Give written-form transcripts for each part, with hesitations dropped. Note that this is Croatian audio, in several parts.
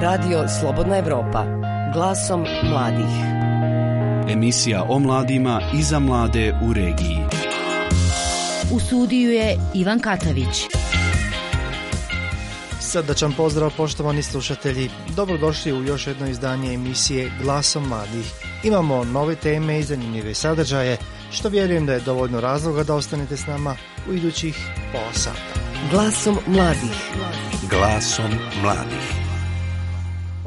Radio Slobodna Evropa. Glasom mladih. Emisija o mladima i za mlade u regiji. U studiju je Ivan Katavić. Srdačan pozdrav, poštovani slušatelji. Dobrodošli u još jedno izdanje emisije Glasom mladih. Imamo nove teme i zanimljive sadržaje, što vjerujem da je dovoljno razloga da ostanete s nama u idućih pola sata. Glasom mladih. Glasom mladih.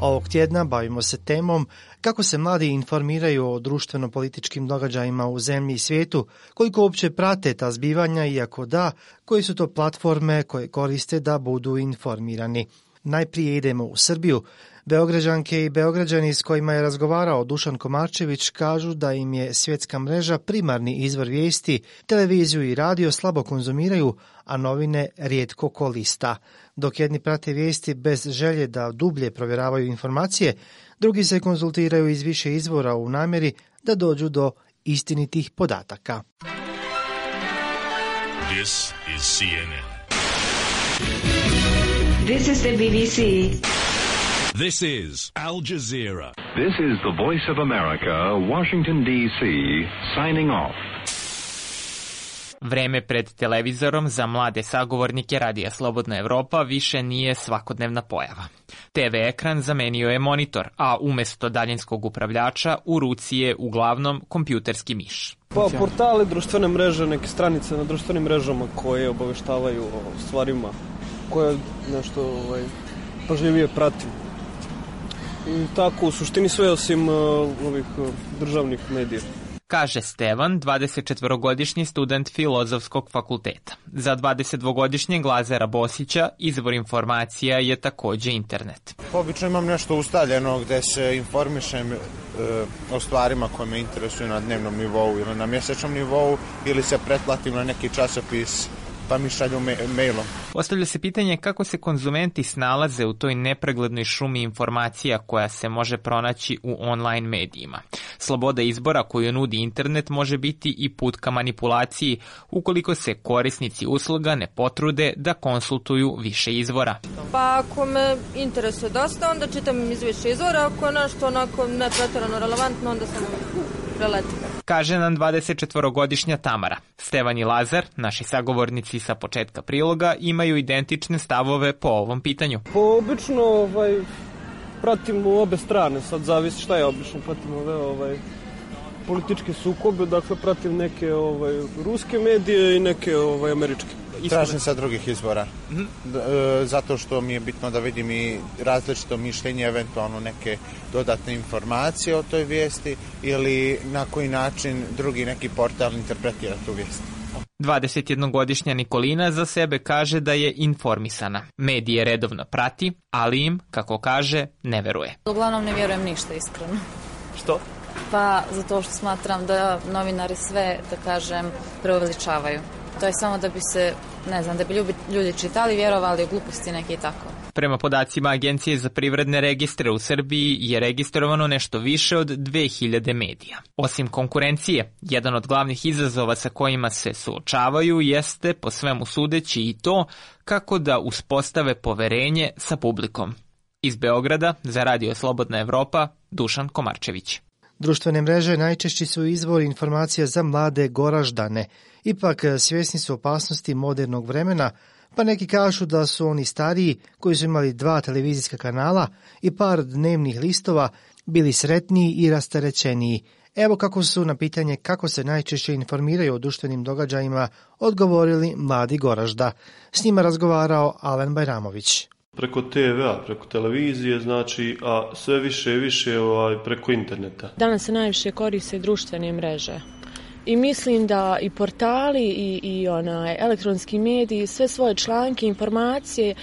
Ovog tjedna bavimo se temom kako se mladi informiraju o društveno-političkim događajima u zemlji i svijetu, koliko uopće prate ta zbivanja i ako da, koje su to platforme koje koriste da budu informirani. Najprije idemo u Srbiju. Beograđanke i Beograđani s kojima je razgovarao Dušan Komarčević kažu da im je svjetska mreža primarni izvor vijesti, televiziju i radio slabo konzumiraju, a novine rijetko ko lista. Dok jedni prate vijesti bez želje da dublje provjeravaju informacije, drugi se konzultiraju iz više izvora u namjeri da dođu do istinitih podataka. This is CNN. This is the BBC. This is Al Jazeera. This is the Voice of America, Washington, D.C., signing off. Vreme pred televizorom za mlade sagovornike Radija Slobodna Evropa više nije svakodnevna pojava. TV ekran zamenio je monitor, a umjesto daljinskog upravljača u ruci je uglavnom kompjuterski miš. Pa portale, društvene mreže, neke stranice na društvenim mrežama koje obaveštavaju o stvarima koje nešto pažljivije pratim. I tako u suštini sve osim ovih državnih medija. Kaže Stevan, 24-godišnji student Filozofskog fakulteta. Za 22-godišnjeg Lazara Bosića izvor informacija je također internet. Obično imam nešto ustaljeno gdje se informišem o stvarima koje me interesuju na dnevnom nivou ili na mjesečnom nivou, ili se pretplatim na neki časopis pa mi šalju mailom. Postavlja se pitanje kako se konzumenti snalaze u toj nepreglednoj šumi informacija koja se može pronaći u online medijima. Sloboda izbora koju nudi internet može biti i put ka manipulaciji ukoliko se korisnici usluga ne potrude da konsultuju više izvora. Pa ako me interesuje dosta, onda čitam iz više izvora, ako je nešto onako ne pretjerano relevantno, onda sam preletim. Kaže nam 24-godišnja Tamara. Stevan i Lazar, naši sagovornici sa početka priloga, imaju identične stavove po ovom pitanju. Po obično pratim u obe strane, sad zavisi šta je obično, pratim ove političke sukobe, dakle pratim neke ruske medije i neke američke. Tražim sa drugih izvora, zato što mi je bitno da vidim i različito mišljenje, eventualno neke dodatne informacije o toj vijesti ili na koji način drugi neki portal interpretira tu vijest. 21-godišnja Nikolina za sebe kaže da je informisana. Medije redovno prati, ali im, kako kaže, ne veruje. Uglavnom ne vjerujem ništa iskreno. Što? Pa zato što smatram da novinari sve, da kažem, preuveličavaju. To je samo da bi se, da bi ljudi čitali, vjerovali u gluposti neke i tako. Prema podacima Agencije za privredne registre u Srbiji je registrovano nešto više od 2000 medija. Osim konkurencije, jedan od glavnih izazova sa kojima se suočavaju jeste, po svemu sudeći, i to kako da uspostave poverenje sa publikom. Iz Beograda za Radio Slobodna Evropa, Dušan Komarčević. Društvene mreže najčešći su izvor informacija za mlade Goraždane. Ipak svjesni su opasnosti modernog vremena, pa neki kažu da su oni stariji, koji su imali 2 televizijska kanala i par dnevnih listova, bili sretniji i rasterećeniji. Evo kako su na pitanje kako se najčešće informiraju o društvenim događajima odgovorili mladi Goražda. S njima razgovarao Alen Bajramović. Preko TV-a, preko televizije, a sve više i više preko interneta. Danas se najviše koriste društvene mreže. I mislim da i portali i elektronski mediji sve svoje članke, informacije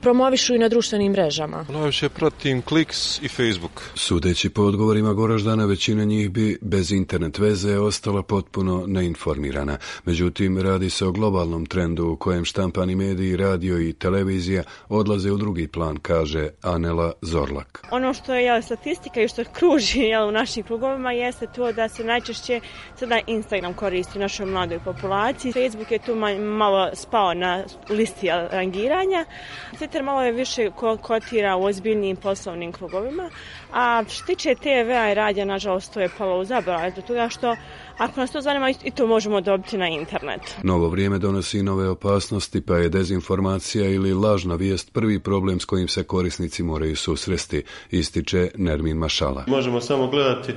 promovišu i na društvenim mrežama. Najviše pratim Kliks i Facebook. Sudeći po odgovorima Goraždana, većina njih bi bez internet veze ostala potpuno neinformirana. Međutim, radi se o globalnom trendu u kojem štampani mediji, radio i televizija odlaze u drugi plan, kaže Anela Zorlak. Ono što je statistika i što kruži u našim krugovima jeste to da se najčešće sada Instagram koristi u našoj mladoj populaciji. Facebook je tu malo spao na listi rangiranja. Sve Twitter malo je više kotira u ozbiljnim poslovnim krugovima, a što tiče TV-a i radija, nažalost, to je palo u zaborav, zbog toga što ako nas to zanima, i to možemo dobiti na internetu. Novo vrijeme donosi nove opasnosti, pa je dezinformacija ili lažna vijest prvi problem s kojim se korisnici moraju susresti, ističe Nermin Mašala. Možemo samo gledati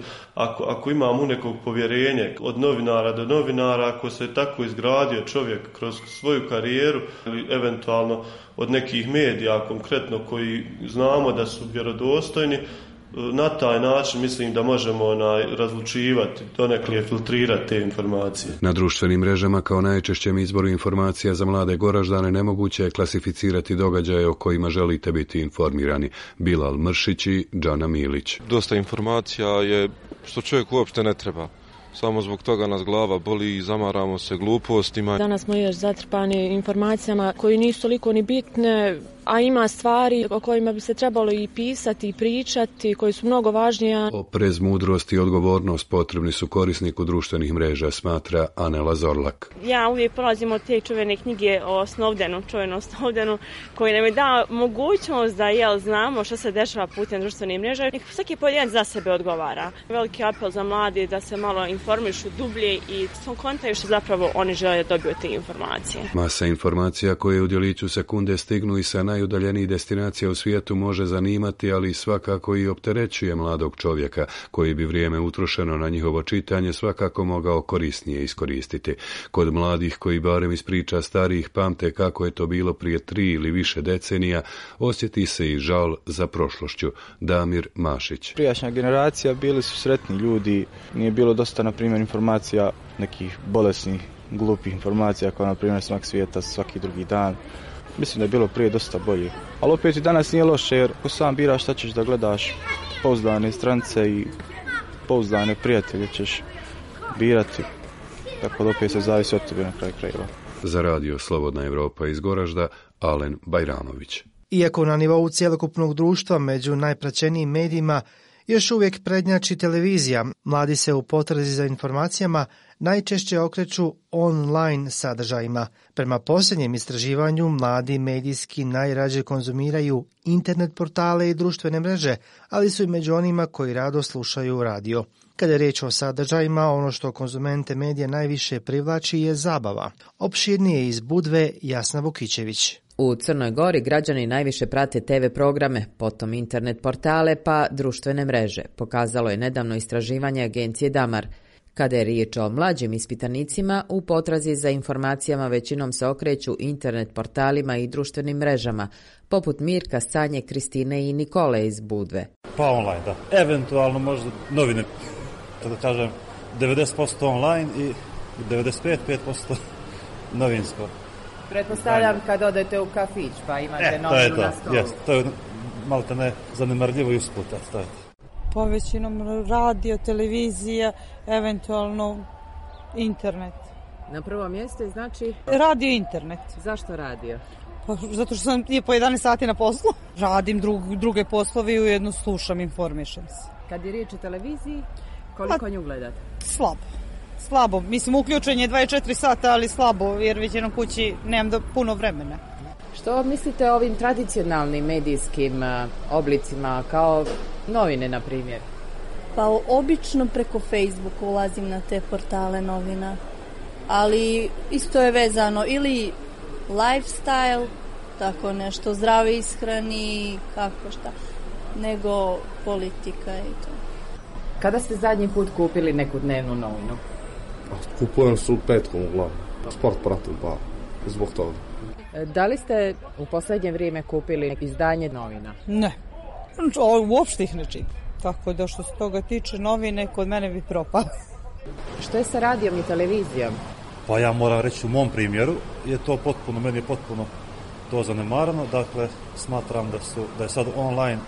ako imamo nekog povjerenje od novinara do novinara, ako se tako izgradio čovjek kroz svoju karijeru ili eventualno od nekih medija konkretno koji znamo da su vjerodostojni, na taj način mislim da možemo razlučivati, donekle filtrirati te informacije. Na društvenim mrežama kao najčešćem izboru informacija za mlade Goraždane nemoguće je klasificirati događaje o kojima želite biti informirani. Bilal Mršić i Džana Milić. Dosta informacija je što čovjek uopšte ne treba. Samo zbog toga nas glava boli i zamaramo se glupostima. Danas smo još zatrpani informacijama koji nisu toliko ni bitne, a ima stvari o kojima bi se trebalo i pisati i pričati, koji su mnogo važnije. Oprez, mudrost i odgovornost potrebni su korisniku društvenih mreža, smatra Anela Zorlak. Ja uvijek polazim od te čuvene knjige o Snowdenu, koji nam je dao mogućnost da znamo što se dešava putem društvenih mreža. Svaki pojedinac za sebe odgovara. Veliki apel za mladi da se malo informišu dublje i kontaju što zapravo oni žele da dobiju te informacije. Masa informacija koje u djeliću sekunde stignu i sa najudaljenijih destinacija u svijetu može zanimati, ali svakako i opterećuje mladog čovjeka, koji bi vrijeme utrošeno na njihovo čitanje svakako mogao korisnije iskoristiti. Kod mladih koji barem iz priča starijih pamte kako je to bilo prije 3 ili više decenija, osjeti se i žal za prošlošću. Damir Mašić. Prijašnja generacija bili su sretni ljudi, nije bilo dosta, na primjer, informacija nekih bolesnih, glupih informacija, kao na primjer smak svijeta svaki drugi dan. Mislim da je bilo prije dosta bolje. Ali opet i danas nije loše, jer ko sam biraš šta ćeš da gledaš, pouzdane strance i pouzdane prijatelje ćeš birati. Tako da opet se zavisi od tebe na kraju krajeva. Za radio Slobodna Evropa iz Goražda, Alen Bajramović. Iako na nivou cjelokupnog društva među najpraćenijim medijima još uvijek prednjači televizija, mladi se u potrazi za informacijama najčešće okreću online sadržajima. Prema posljednjem istraživanju, mladi medijski najrađe konzumiraju internet portale i društvene mreže, ali su i među onima koji rado slušaju radio. Kada je riječ o sadržajima, ono što konzumente medija najviše privlači je zabava. Opširnije iz Budve Jasna Vukićević. U Crnoj Gori građani najviše prate TV programe, potom internet portale pa društvene mreže, pokazalo je nedavno istraživanje agencije Damar. Kada je riječ o mlađim ispitanicima, u potrazi za informacijama većinom se okreću internet portalima i društvenim mrežama, poput Mirka, Sanje, Kristine i Nikole iz Budve. Pa online, da. Eventualno možda novine, da kažem, 90% online i 95% novinsko. Pretpostavljam kad odete u kafić pa imate novinu na stolu. To je malo te ne zanemarljivo i usput. Po većinom radio, televizija, eventualno internet. Na prvo mjesto znači? Radio, internet. Zašto radio? Pa, zato što sam po 11 sati na poslu. Radim druge poslove i ujedno slušam, informišem se. Kad je riječ o televiziji, koliko nju gledate? Slabo. Mislim, uključen je 24 sata, ali slabo, jer već jednom kući nemam puno vremena. Što mislite o ovim tradicionalnim medijskim oblicima, kao novine, na primjer? Pa obično preko Facebooka ulazim na te portale novina, ali isto je vezano ili lifestyle, tako nešto, zdrave ishrani, kako šta, nego politika i to. Kada ste zadnji put kupili neku dnevnu novinu? Kupujem su petkom uglavnom. Sport pratim, pa zbog toga. Da li ste u posljednje vrijeme kupili izdanje novina? Ne, uopšte ih ne čitam. Tako da što se toga tiče, novine kod mene bi propale. Što je sa radijom i televizijom? Pa ja moram reći u mom primjeru, meni je potpuno to zanemarano. Dakle, smatram da je sad online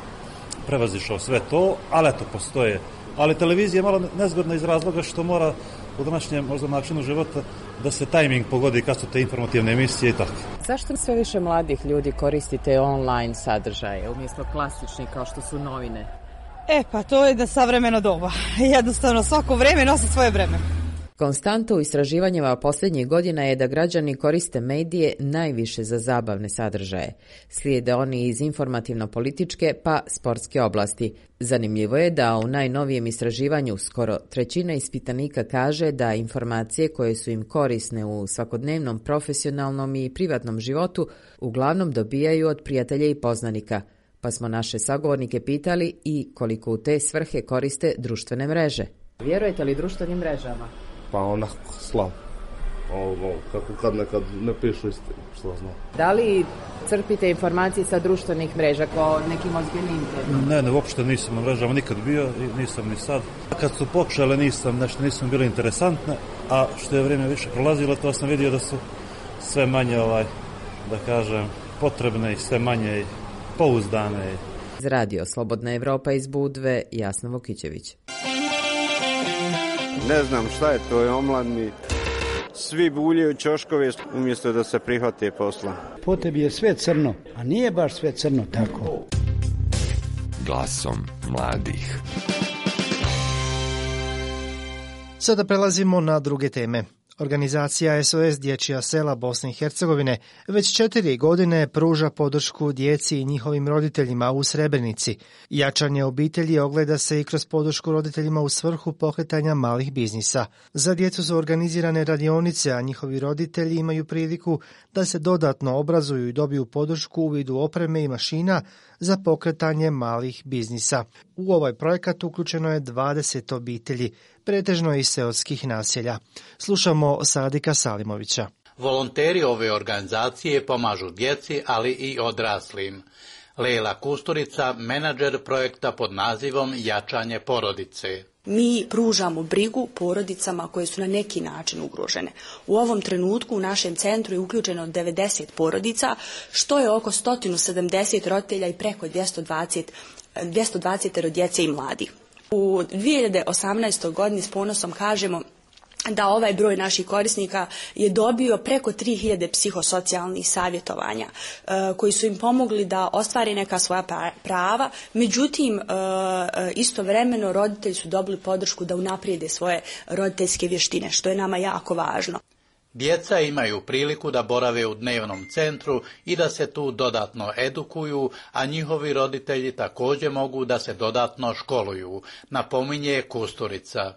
prevazišao sve to, ali eto, postoje. Ali televizija je malo nezgodna iz razloga što mora u današnjem možda načinu života da se tajming pogodi kad su te informativne emisije i tako. Zašto sve više mladih ljudi koristite online sadržaje umjesto klasičnih kao što su novine? Pa to je da savremeno doba. Jednostavno svako vreme nosi svoje vreme. Konstanta u istraživanjima posljednjih godina je da građani koriste medije najviše za zabavne sadržaje. Slijede oni iz informativno-političke pa sportske oblasti. Zanimljivo je da u najnovijem istraživanju skoro trećina ispitanika kaže da informacije koje su im korisne u svakodnevnom profesionalnom i privatnom životu uglavnom dobijaju od prijatelja i poznanika, pa smo naše sagovornike pitali i koliko u te svrhe koriste društvene mreže. Vjerujete li društvenim mrežama? Pa onako slabo. Kako kad nekad ne pišu istinu, što znam. Da li crpite informacije sa društvenih mreža kao nekim ozbiljnim internetom? Ne, uopšte nisam na mrežama nikad bio i nisam ni sad. Kad su pokušale nisam bile interesantne, a što je vrijeme više prolazilo, to sam vidio da su sve manje, da kažem, potrebne i sve manje pouzdane. Za Radio Slobodna Evropa iz Budve, Jasna Vukićević. Ne znam šta je to, je omladni. Svi buljaju ćoškove umjesto da se prihvate posla. Po tebi je sve crno, a nije baš sve crno tako. Glasom mladih. Sada prelazimo na druge teme. Organizacija SOS Dječja sela Bosne i Hercegovine već 4 godine pruža podršku djeci i njihovim roditeljima u Srebrenici. Jačanje obitelji ogleda se i kroz podršku roditeljima u svrhu pokretanja malih biznisa. Za djecu su organizirane radionice, a njihovi roditelji imaju priliku da se dodatno obrazuju i dobiju podršku u vidu opreme i mašina za pokretanje malih biznisa. U ovaj projekat uključeno je 20 obitelji, pretežno iz seoskih naselja. Slušamo Sadika Salimovića. Volonteri ove organizacije pomažu djeci, ali i odraslim. Leila Kusturica, menadžer projekta pod nazivom Jačanje porodice. Mi pružamo brigu porodicama koje su na neki način ugrožene. U ovom trenutku u našem centru je uključeno 90 porodica, što je oko 170 roditelja i preko 220 djece i mladih. U 2018. godini s ponosom kažemo da ovaj broj naših korisnika je dobio preko 3000 psihosocijalnih savjetovanja koji su im pomogli da ostvare neka svoja prava. Međutim, istovremeno roditelji su dobili podršku da unaprijede svoje roditeljske vještine, što je nama jako važno. Djeca imaju priliku da borave u dnevnom centru i da se tu dodatno edukuju, a njihovi roditelji također mogu da se dodatno školuju, napominje Kusturica.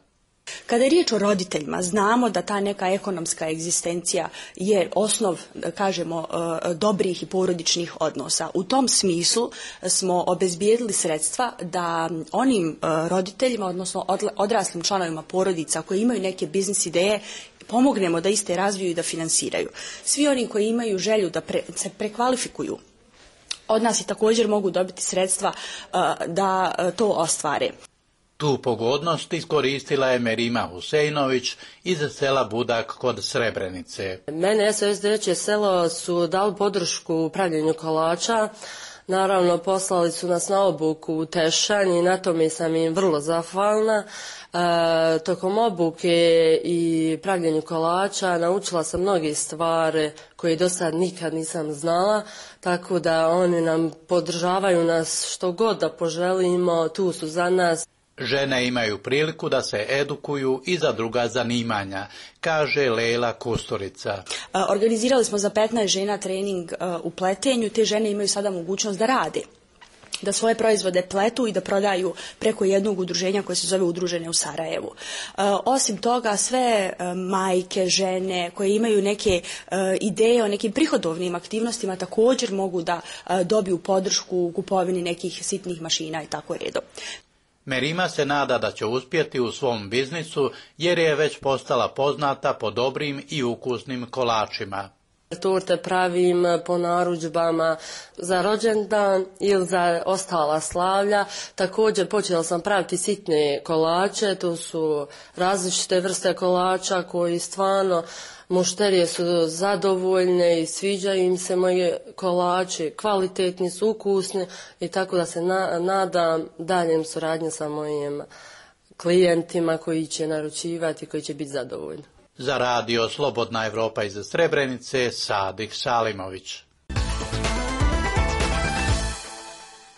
Kada je riječ o roditeljima, znamo da ta neka ekonomska egzistencija je osnov, kažemo, dobrih i porodičnih odnosa. U tom smislu smo obezbijedili sredstva da onim roditeljima, odnosno odraslim članovima porodica koji imaju neke biznis ideje, pomognemo da iste razviju i da finansiraju. Svi oni koji imaju želju da se prekvalifikuju od nas i također mogu dobiti sredstva da to ostvare. Tu pogodnost iskoristila je Merima Huseinović iz sela Budak kod Srebrenice. Mene SOS Dječje selo su dali podršku u pravljenju kolača. Naravno, poslali su nas na obuku u Tešanj i na tome sam im vrlo zahvalna. Tokom obuke i pravljenju kolača naučila sam mnoge stvari koje do sad nikad nisam znala, tako da oni nam podržavaju nas što god da poželimo, tu su za nas. Žene imaju priliku da se edukuju i za druga zanimanja, kaže Leila Kusturica. Organizirali smo za 15 žena trening u pletenju. Te žene imaju sada mogućnost da rade, da svoje proizvode pletu i da prodaju preko jednog udruženja koje se zove Udružene u Sarajevu. Osim toga, sve majke, žene koje imaju neke ideje o nekim prihodovnim aktivnostima također mogu da dobiju podršku u kupovini nekih sitnih mašina i tako redom. Merima se nada da će uspjeti u svom biznisu jer je već postala poznata po dobrim i ukusnim kolačima. Torte pravim po narudžbama za rođendan ili za ostala slavlja. Također počela sam praviti sitne kolače, to su različite vrste kolača koji stvarno mušterije su zadovoljne i sviđaju im se moji kolači, kvalitetni su, ukusni i tako da se nadam daljem suradnje sa mojim klijentima koji će naručivati i koji će biti zadovoljni. Za Radio Slobodna Evropa iz Srebrenice, Sadik Salimović.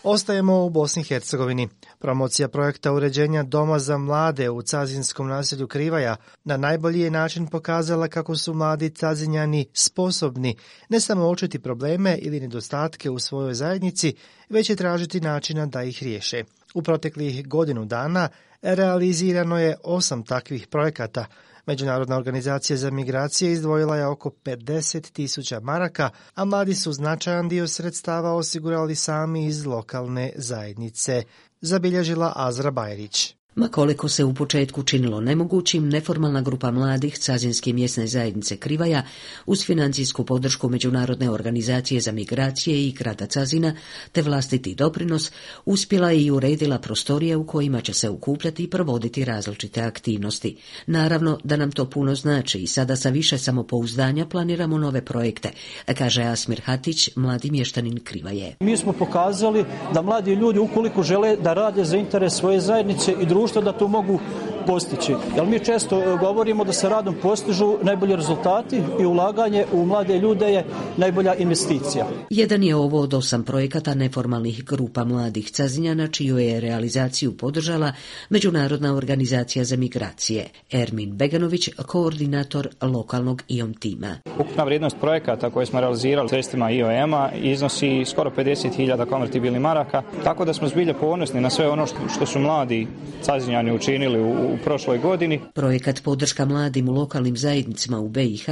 Ostajemo u Bosni i Hercegovini. Promocija projekta uređenja Doma za mlade u cazinskom naselju Krivaja na najbolji je način pokazala kako su mladi cazinjani sposobni ne samo uočiti probleme ili nedostatke u svojoj zajednici, već i tražiti načina da ih riješe. U proteklih godinu dana realizirano je 8 takvih projekata. Međunarodna organizacija za migracije izdvojila je oko 50.000 maraka, a mladi su značajan dio sredstava osigurali sami iz lokalne zajednice, zabilježila Azra Bajrić. Ma koliko se u početku činilo nemogućim, neformalna grupa mladih Cazinske mjesne zajednice Krivaja uz financijsku podršku Međunarodne organizacije za migracije i grada Cazina te vlastiti doprinos uspjela je i uredila prostorije u kojima će se okupljati i provoditi različite aktivnosti. Naravno da nam to puno znači i sada sa više samopouzdanja planiramo nove projekte, kaže Asmir Hatić, mladi mještanin Krivaje. Mi smo pokazali da mladi ljudi ukoliko žele da rade za interes svoje zajednice i društva da to mogu postići. Jer mi često govorimo da se radom postižu najbolji rezultati i ulaganje u mlade ljude je najbolja investicija. Jedan je ovo od 8 projekata neformalnih grupa mladih Cazinjana, čiju je realizaciju podržala Međunarodna organizacija za migracije. Ermin Beganović, koordinator lokalnog IOM tima. Ukupna vrijednost projekata koje smo realizirali sredstvima IOM-a iznosi skoro 50.000 konvertibilnih maraka, tako da smo zbilja ponosni na sve ono što su mladi Cazinjani učinili u prošloj godini. Projekat podrška mladim u lokalnim zajednicama u BiH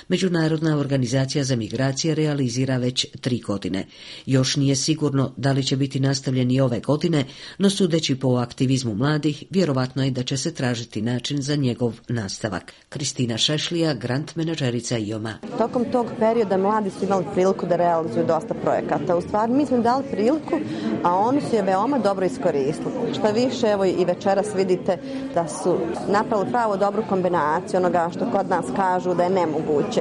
Međunarodna organizacija za migracije realizira već 3 godine. Još nije sigurno da li će biti nastavljen i ove godine, no sudeći po aktivizmu mladih, vjerovatno je da će se tražiti način za njegov nastavak. Kristina Šešlija, grant menadžerica IOM-a. Tokom tog perioda mladi su imali priliku da realizuju dosta projekata. U stvari mi smo im dali priliku, a oni su je veoma dobro iskoristili. Šta više, evo i večeras vidite da su napravili pravo dobru kombinaciju onoga što kod nas kažu da je nemoguće.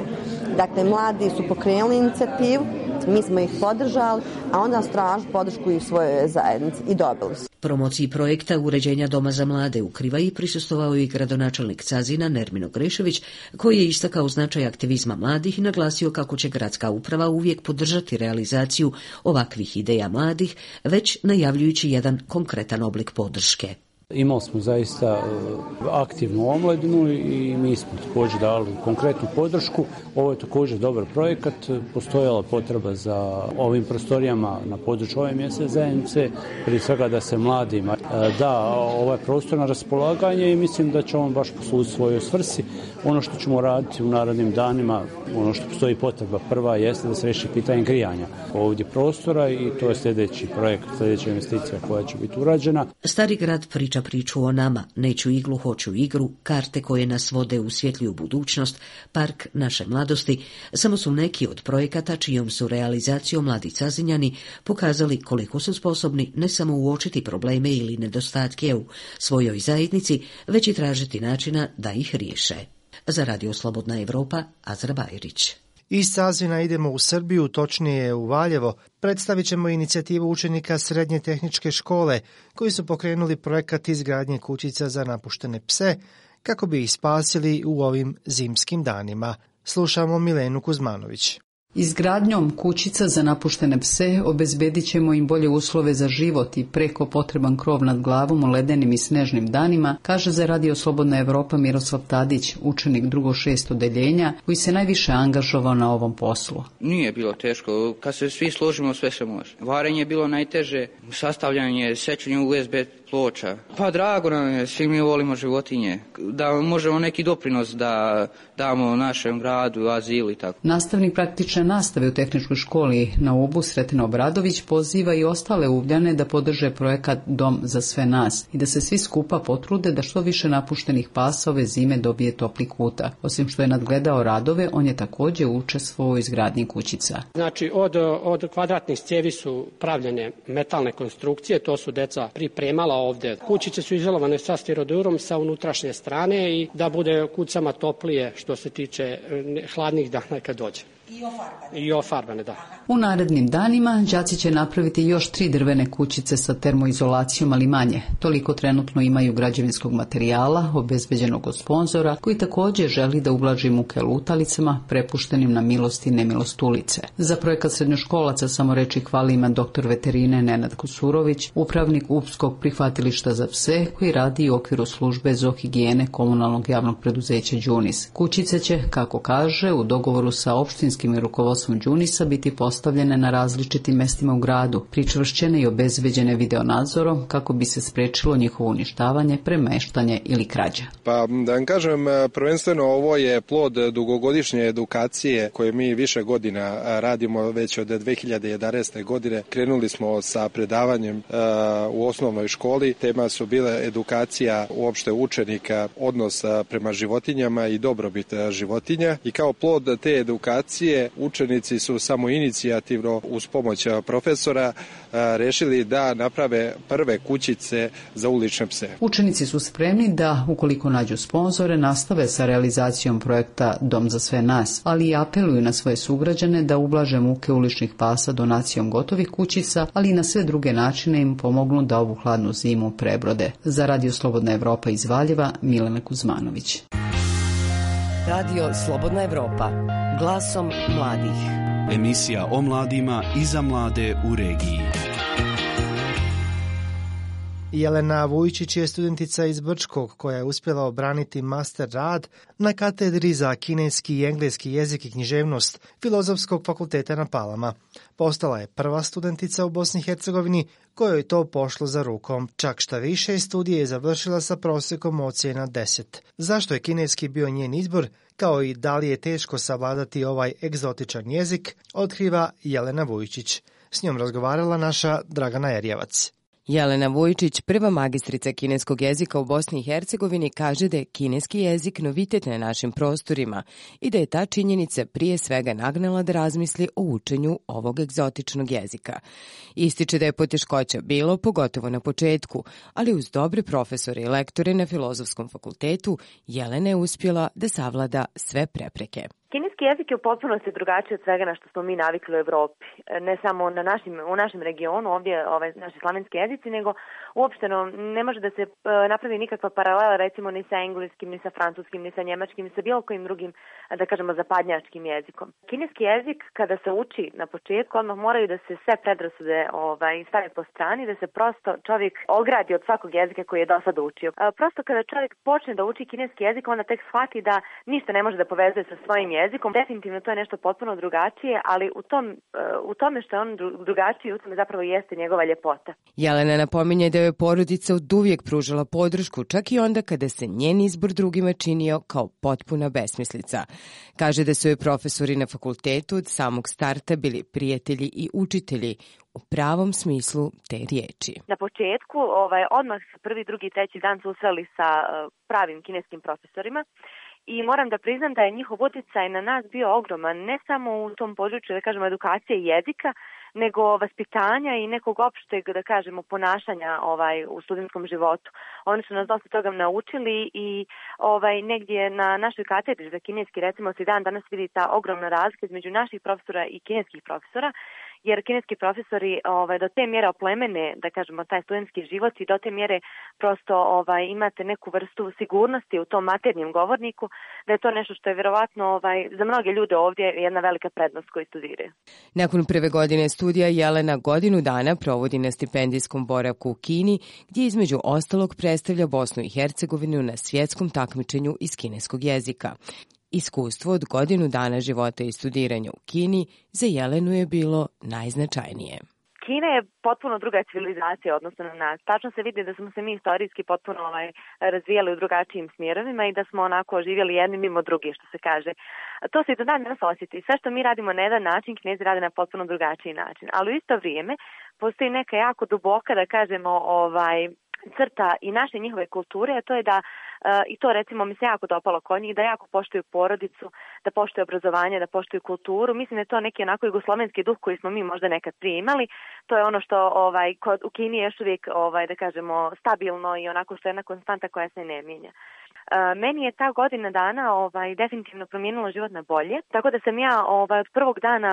Dakle, mladi su pokrenuli inicijativu, mi smo ih podržali, a onda su tražili podršku i u svojoj zajednici i dobili su. Promociji projekta uređenja Doma za mlade u Krivaji prisustvovao i gradonačelnik Cazina Nermino Grešević, koji je istakao značaj aktivizma mladih i naglasio kako će gradska uprava uvijek podržati realizaciju ovakvih ideja mladih, već najavljujući jedan konkretan oblik podrške. Imali smo zaista aktivnu omladinu i mi smo također dali konkretnu podršku. Ovo je također dobar projekat. Postojala potreba za ovim prostorijama na području ove mjesne zajednice, prije svega da se mladima da ovaj prostor na raspolaganje i mislim da će on baš poslužiti svojoj svrsi. Ono što ćemo raditi u narednim danima, ono što postoji potreba prva jeste da se riješi pitanje grijanja ovdje prostora i to je sljedeći projekt, sljedeća investicija koja će biti urađena. Stari grad priču o nama, neću iglu, hoću igru, karte koje nas vode u svjetliju budućnost, park naše mladosti, samo su neki od projekata čijom su realizacijom mladi Cazinjani pokazali koliko su sposobni ne samo uočiti probleme ili nedostatke u svojoj zajednici, već i tražiti načina da ih riješe. Za Radio Slobodna Evropa, Azra Bajrić. Iz Cazina idemo u Srbiju, točnije u Valjevo. Predstavit ćemo inicijativu učenika Srednje tehničke škole koji su pokrenuli projekat izgradnje kućica za napuštene pse kako bi ih spasili u ovim zimskim danima. Slušamo Milenu Kuzmanović. Izgradnjom kućica za napuštene pse obezbedit ćemo im bolje uslove za život i preko potreban krov nad glavom u ledenim i snežnim danima, kaže za Radio Slobodna Evropa Miroslav Tadić, učenik 2. odeljenja, koji se najviše angažovao na ovom poslu. Nije bilo teško, kad se svi složimo sve se može. Varenje je bilo najteže, sastavljanje, sečenje USB ploča. Pa drago nam je, svi mi volimo životinje, da možemo neki doprinos da damo našem gradu, azilu i tako. Nastavnik praktične nastave u tehničkoj školi na Ubu Sretina Obradović poziva i ostale Ugljane da podrže projekat Dom za sve nas i da se svi skupa potrude da što više napuštenih pasa ove zime dobije topli kuta. Osim što je nadgledao radove, on je također učestvovao u izgradnji kućica. Znači, od kvadratnih cijevi su pravljene metalne konstrukcije, to su deca pripremala ovdje. Kućice su izolovane sa stirodurom sa unutrašnje strane i da bude kucama toplije što se tiče hladnih dana kad dođe. I ofarbane, da. U narednim danima đaci će napraviti još 3 drvene kućice sa termoizolacijom, ali manje. Toliko trenutno imaju građevinskog materijala, obezbeđenog od sponzora, koji također želi da ublaži muke lutalicama, prepuštenim na milost i nemilost ulice. Za projekat srednjoškolaca samo reči hvali ima doktor veterine Nenad Kusurović, upravnik Upskog prihvatilišta za pse, koji radi u okviru službe zoohigijene komunalnog javnog preduzeća Đunis. Kućice će, kako kaže, u dogovoru sa opštinskim i rukovodstvom Đunisa biti postavljene na različitim mestima u gradu, pričvršćene i obezbeđene videonadzorom kako bi se sprečilo njihovo uništavanje, premeštanje ili krađa. Pa da vam kažem, prvenstveno ovo je plod dugogodišnje edukacije koje mi više godina radimo, već od 2011. godine. Krenuli smo sa predavanjem u osnovnoj školi. Tema su bile edukacija uopšte učenika, odnos prema životinjama i dobrobit životinja. I kao plod te edukacije učenici su samoinicijativno uz pomoć profesora rešili da naprave prve kućice za ulične pse. Učenici su spremni da, ukoliko nađu sponzore, nastave sa realizacijom projekta Dom za sve nas, ali i apeluju na svoje sugrađane da ublaže muke uličnih pasa donacijom gotovih kućica, ali i na sve druge načine im pomognu da ovu hladnu zimu prebrode. Za Radio Slobodna Evropa iz Valjeva, Milena Kuzmanović. Radio Slobodna Evropa, glasom mladih. Emisija o mladima i za mlade u regiji. Jelena Vujčić je studentica iz Brčkog koja je uspjela obraniti master rad na katedri za kineski i engleski jezik i književnost Filozofskog fakulteta na Palama. Postala je prva studentica u Bosni i Hercegovini kojoj je to pošlo za rukom. Čak šta više, studije je završila sa prosjekom ocjena 10. Zašto je kineski bio njen izbor, kao i da li je teško savladati ovaj egzotičan jezik, otkriva Jelena Vujčić. S njom razgovarala naša Dragana Erjevac. Jelena Vujčić, prva magistrica kineskog jezika u Bosni i Hercegovini, kaže da je kineski jezik novitet na našim prostorima i da je ta činjenica prije svega nagnala da razmisli o učenju ovog egzotičnog jezika. Ističe da je poteškoća bilo, pogotovo na početku, ali uz dobre profesore i lektore na Filozofskom fakultetu, Jelena je uspjela da savlada sve prepreke. Kineski jezik je u potpunosti drugačiji od svega na što smo mi navikli u Evropi. Ne samo u našem regionu, ovdje naši slavenski jezici, nego uopšteno ne može da se napravi nikakva paralela recimo ni sa engleskim, ni sa francuskim, ni sa njemačkim, ni sa bilo kojim drugim, da kažemo, zapadnjačkim jezikom. Kineski jezik kada se uči na početku, odmah moraju da se sve predrasude stave po strani, da se prosto čovjek ogradi od svakog jezika koji je do sada učio. Prosto kada čovjek počne da uči kineski jezik, onda tek shvati da ništa ne može da povezuje sa svojim jezikom. Definitivno to je nešto potpuno drugačije, ali u tome što je on drugačiji, u tome zapravo jeste njegova ljepota. Jelena napominje da je porodica oduvijek pružala podršku, čak i onda kada se njen izbor drugima činio kao potpuna besmislica. Kaže da su joj profesori na fakultetu od samog starta bili prijatelji i učitelji u pravom smislu te riječi. Na početku, odmah prvi, drugi, treći dan susreli sa pravim kineskim profesorima. I moram da priznam da je njihov utjecaj na nas bio ogroman, ne samo u tom području, da kažemo, edukacije i jezika, nego vaspitanja i nekog opšteg, da kažemo, ponašanja u studentskom životu. Oni su nas dosta toga naučili i negdje na našoj katedri za kineski, recimo, se dan danas vidi ta ogromna razlika između naših profesora i kineskih profesora, jer kineski profesori do te mjere oplemene, da kažemo, taj studentski život i do te mjere prosto imate neku vrstu sigurnosti u tom maternjem govorniku, da je to nešto što je vjerovatno za mnoge ljude ovdje jedna velika prednost koji studiraju. Nakon prve godine studija Jelena godinu dana provodi na stipendijskom boravku u Kini, gdje između ostalog predstavlja Bosnu i Hercegovinu na svjetskom takmičenju iz kineskog jezika. Iskustvo od godinu dana života i studiranja u Kini za Jelenu je bilo najznačajnije. Kina je potpuno druga civilizacija odnosno na nas. Tačno se vidi da smo se mi istorijski potpuno razvijali u drugačijim smjerovima i da smo onako živjeli jedni mimo drugi, što se kaže. To se i do dan danas osjeti. Sve što mi radimo na jedan način, Kinezi rade na potpuno drugačiji način. Ali u isto vrijeme postoji neka jako duboka, da kažemo, crta i naše njihove kulture, a to je da, i to recimo mi se jako dopalo kod njih, da jako poštuju porodicu, da poštuju obrazovanje, da poštuju kulturu. Mislim da je to neki onako jugoslovenski duh koji smo mi možda nekad prije imali. To je ono što u Kini je još uvijek, da kažemo, stabilno i onako što je jedna konstanta koja se ne mijenja. Meni je ta godina dana definitivno promijenila život na bolje, tako da sam ja od prvog dana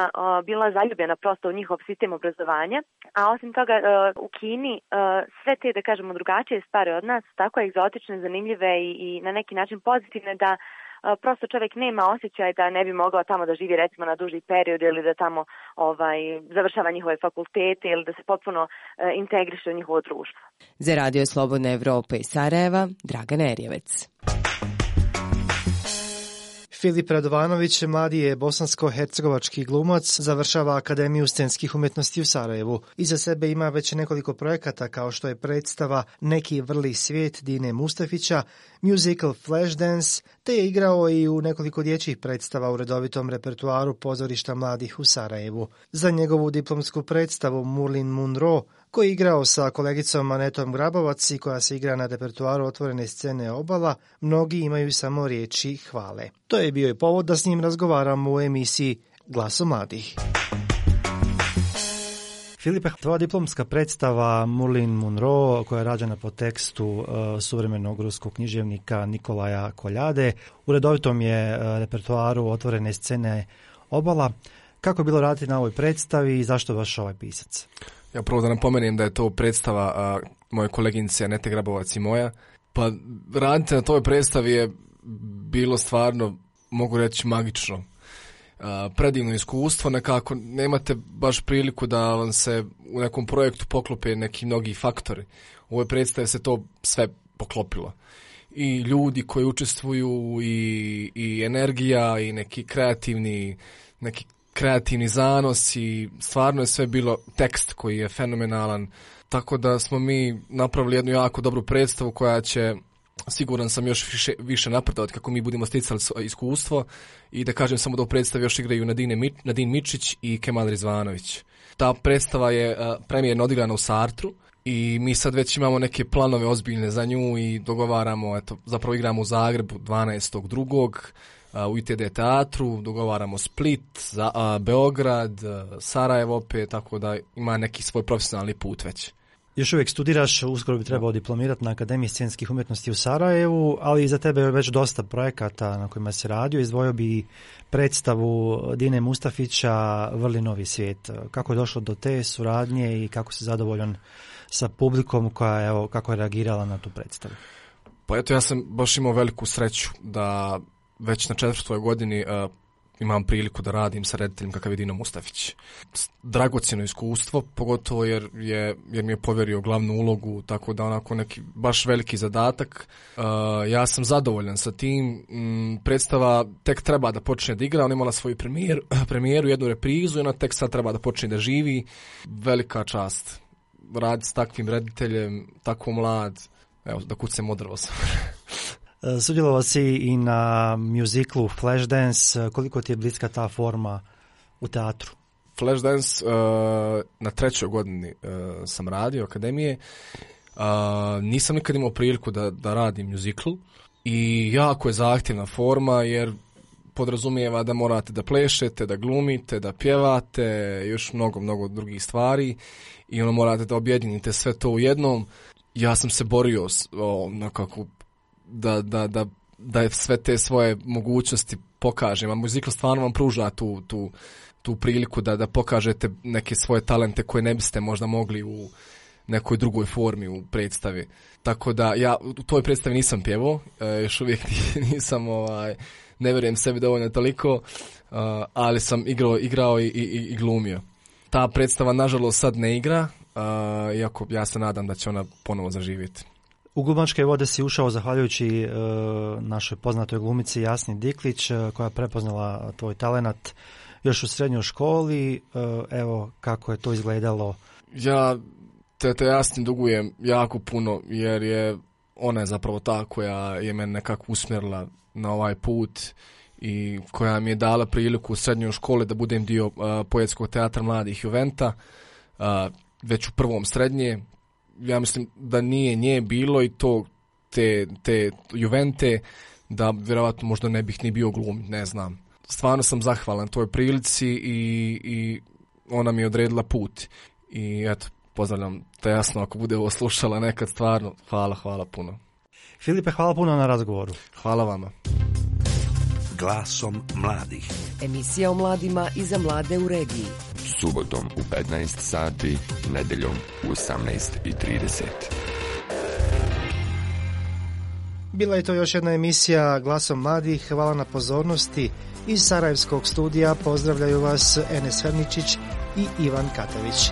bila zaljubljena prosto u njihov sistem obrazovanja, a osim toga u Kini sve te, da kažemo, drugačije stvari od nas, tako egzotične, zanimljive i na neki način pozitivne da prosto čovjek nema osjećaj da ne bi mogao tamo da živi recimo na duži period ili da tamo završava njihove fakultete ili da se potpuno integriše u njihovo društvo. Za Radio Slobodne Evrope iz Sarajeva, Dragana Erjevec. Filip Radovanović, mladi je bosansko-hercegovački glumac, završava Akademiju scenskih umjetnosti u Sarajevu. Iza sebe ima već nekoliko projekata kao što je predstava Neki vrli svijet Dine Mustafića, musical Flashdance, te je igrao i u nekoliko dječjih predstava u redovitom repertuaru pozorišta mladih u Sarajevu. Za njegovu diplomsku predstavu Moulin Munro, koji je igrao sa kolegicom Anetom Grabovac i koja se igra na repertuaru otvorene scene Obala, mnogi imaju samo riječi hvale. To je bio i povod da s njim razgovaramo u emisiji Glaso mladih. Filipe, tvoja diplomska predstava Moulin Munro, koja je rađena po tekstu suvremenog ruskog književnika Nikolaja Koljade, u redovitom je repertuaru otvorene scene Obala. Kako je bilo raditi na ovoj predstavi i zašto baš ovaj pisac? Ja prvo da napomenem da je to predstava moje koleginice Anete Grabovac i moja. Pa raditi na toj predstavi je bilo stvarno, mogu reći, magično. Predivno iskustvo, nekako nemate baš priliku da vam se u nekom projektu poklope neki mnogi faktori. U ovoj predstavi se to sve poklopilo. I ljudi koji učestvuju i energija i neki kreativni zanos i stvarno je sve bilo tekst koji je fenomenalan. Tako da smo mi napravili jednu jako dobru predstavu koja će, siguran sam, još više napredovati kako mi budemo sticali iskustvo. I da kažem samo da u predstavi još igraju Nadin Mičić i Kemal Rizvanović. Ta predstava je premijerno odigrana u Sartru i mi sad već imamo neke planove ozbiljne za nju i dogovaramo, zapravo igramo u Zagrebu 12.2. u ITD teatru, dogovaramo Split, Beograd, Sarajevo opet, tako da ima neki svoj profesionalni put već. Još uvijek studiraš, uskoro bi trebao diplomirati na Akademiji scenskih umjetnosti u Sarajevu, ali iza tebe je već dosta projekata na kojima se radio. Izdvojio bi predstavu Dine Mustafića Vrli novi svijet. Kako je došlo do te suradnje i kako si zadovoljan sa publikom koja je, kako je reagirala na tu predstavu? Pa eto, ja sam baš imao veliku sreću da već na 4. godini imam priliku da radim sa rediteljem kakav je Dino Mustafić. Dragocjeno iskustvo, pogotovo jer mi je povjerio glavnu ulogu, tako da onako neki baš veliki zadatak. Ja sam zadovoljan sa tim. Predstava tek treba da počne da igra, ona imala svoju premijeru, jednu reprizu i ona tek sad treba da počne da živi. Velika čast raditi s takvim rediteljem, tako mlad. Evo, da kucem odrvo sam. Sudjelovao si i na muziklu Flashdance. Koliko ti je bliska ta forma u teatru? Flashdance na 3. godini sam radio akademije. Nisam nikad imao priliku da radim muzikl i jako je zahtjevna forma jer podrazumijeva da morate da plešete, da glumite, da pjevate, još mnogo drugih stvari i morate da objedinite sve to u jednom. Ja sam se borio nekako da je sve te svoje mogućnosti pokažem, a muzikal stvarno vam pruža tu priliku da pokažete neke svoje talente koje ne biste možda mogli u nekoj drugoj formi u predstavi. Tako da ja u toj predstavi nisam pjevao, još uvijek nisam, ne vjerujem sebi dovoljno toliko, ali sam igrao i glumio. Ta predstava nažalost sad ne igra, iako ja se nadam da će ona ponovo zaživjeti. U glumačke vode si ušao zahvaljujući našoj poznatoj glumici Jasni Diklić, koja je prepoznala tvoj talenat još u srednjoj školi. Evo kako je to izgledalo. Ja te Jasni dugujem jako puno, jer je ona je zapravo ta koja je mene nekako usmjerila na ovaj put i koja mi je dala priliku u srednjoj školi da budem dio Poetskog teatra mladih Juventa, već u 1. srednje. Ja mislim da nije nje bilo i to te Juvente, da vjerovatno možda ne bih ni bio glumit, ne znam. Stvarno sam zahvalan toj prilici i ona mi je odredila put. I eto, pozdravljam te Jasno ako bude ovo slušala nekad, stvarno hvala puno. Filipe, hvala puno na razgovoru. Hvala vama. Glasom mladih. Emisija o mladima i za mlade u regiji. Subotom u 15 sati, nedeljom u 18:30. Bila je to još jedna emisija Glasom mladih. Hvala na pozornosti. Iz Sarajevskog studija pozdravljaju vas Enes Ferničić i Ivan Katavić.